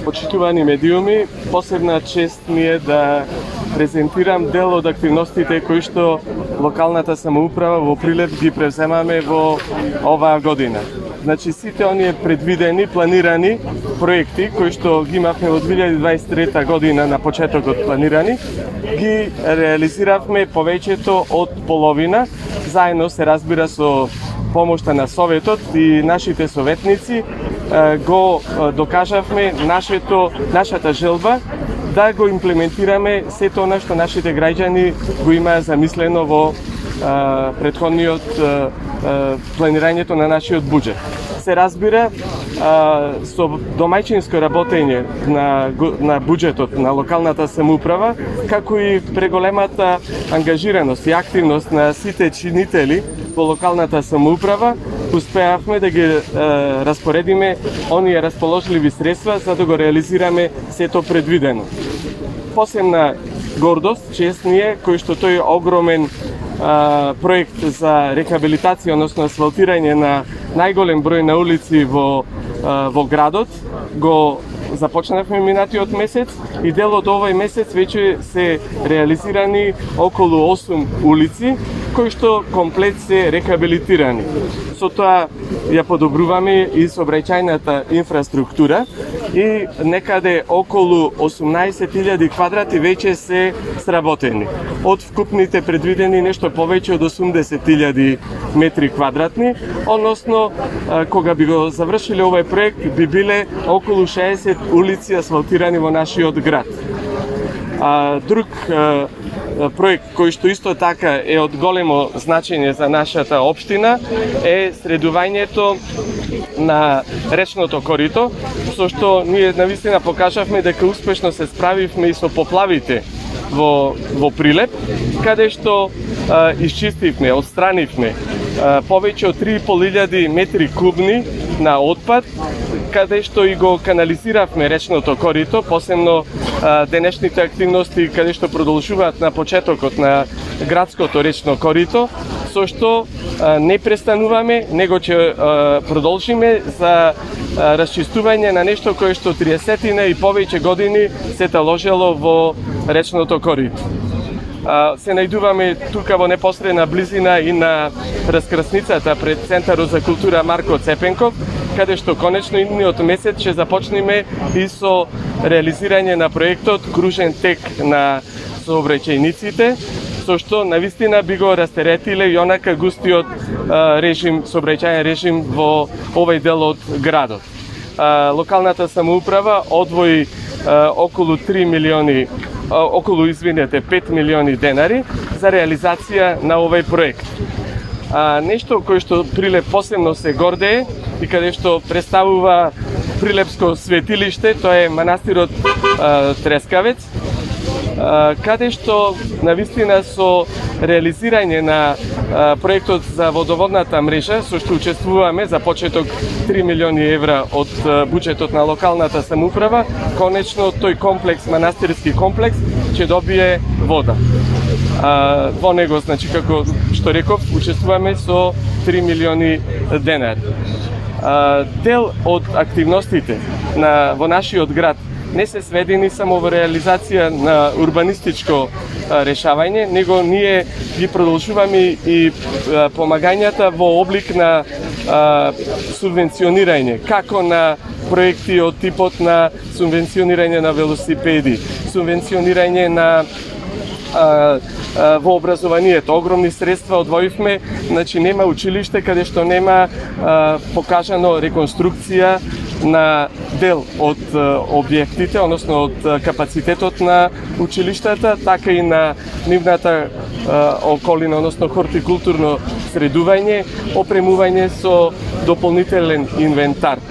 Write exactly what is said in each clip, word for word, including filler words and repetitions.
почитувани медиуми, посебна чест ми е да презентирам дел од активностите кои што локалната самоуправа во Прилеп ги превземаме во оваа година. Значи сите оние предвидени, планирани проекти кои што ги имавме од две илјади дваесет и трета година на почетокот планирани, ги реализиравме повеќето од половина, заедно се разбира со помошта на Советот и нашите советници го докажавме нашето, нашата желба да го имплементираме сето она што нашите граѓани го имаа замислено во а, предходниот а, а, планирањето на нашиот буџет. Се разбира, а, со домаќинско работење на, на буџетот на локалната самоуправа, како и преголемата ангажираност и активност на сите чинители во локалната самоуправа, успеавме да ги е, распоредиме оние расположливи средства за да го реализираме сето предвидено. Посебна гордост, чест ни е, кој што тој огромен а, проект за рехабилитација, односно асфалтирање на најголем број на улици во, а, во градот, го започнавме минатиот месец и дел од овој месец веќе се реализирани околу осум улици, кои што комплет се рехабилитирани. Со тоа ја подобруваме и сообраќајната инфраструктура и некаде околу осумнаесет илјади квадрати веќе се сработени. Од вкупните предвидени нешто повеќе од осумдесет илјади метри квадратни, односно кога би го завршиле овој проект би биле околу шеесет улици асфалтирани во нашиот град. А, друг а, проект кој што исто така е од големо значење за нашата општина е средувањето на речното корито, со што ние навистина покажавме дека успешно се справивме и со поплавите во, во Прилеп, каде што а, исчистивме, отстранивме а, повеќе од три и пол илјади метри кубни на отпад, каде што и го канализиравме речното корито, посебно а, денешните активности каде што продолжуваат на почетокот на градското речно корито, со што а, не престануваме, него ќе а, продолжиме за а, расчистување на нешто кое што триесетина и повеќе години се таложело во речното корито. Се најдуваме тука во непосредна близина и на раскрсницата пред Центарот за култура Марко Цепенков, каде што конечно идниот месец ќе започнеме и со реализирање на проектот Кружен тек на сообраќајниците, со што навистина би го растеретиле и онака густиот а, режим, сообраќајен режим во овој дел од градот. А, локалната самоуправа одвои а, околу три милиони околу, извинете, пет милиони денари за реализација на овој проект. А, нешто кој што Прилеп посебно се гордее и каде што представува Прилепско светилиште, тоа е манастирот а, Трескавец, а, каде што навистина со реализирање на а, проектот за водоводната мрежа, со што учествуваме за почеток три милиони евра од а, буџетот на локалната самоуправа, конечно тој комплекс, манастирски комплекс, ќе добие вода. А, во него, значи, како што реков, учествуваме со три милиони денари. А, дел од активностите на, во нашиот град не се сведени само во реализација на урбанистичко а, решавање, него ние ги продолжуваме и а, помагањата во облик на а, субвенционирање, како на проекти од типот на субвенционирање на велосипеди, субвенционирање на а, а, во образованието. Огромни средства одвоивме, значи нема училиште каде што нема а, покажано реконструкција на дел од а, објектите, односно од а, капацитетот на училиштата, така и на нивната а, околина, односно хортикултурно средување, опремување со дополнителен инвентар.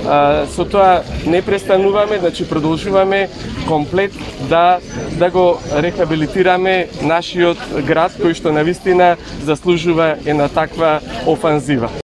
А, со тоа не престануваме, значи продолжуваме комплет да да го рехабилитираме нашиот град кој што навистина заслужува една таква офанзива.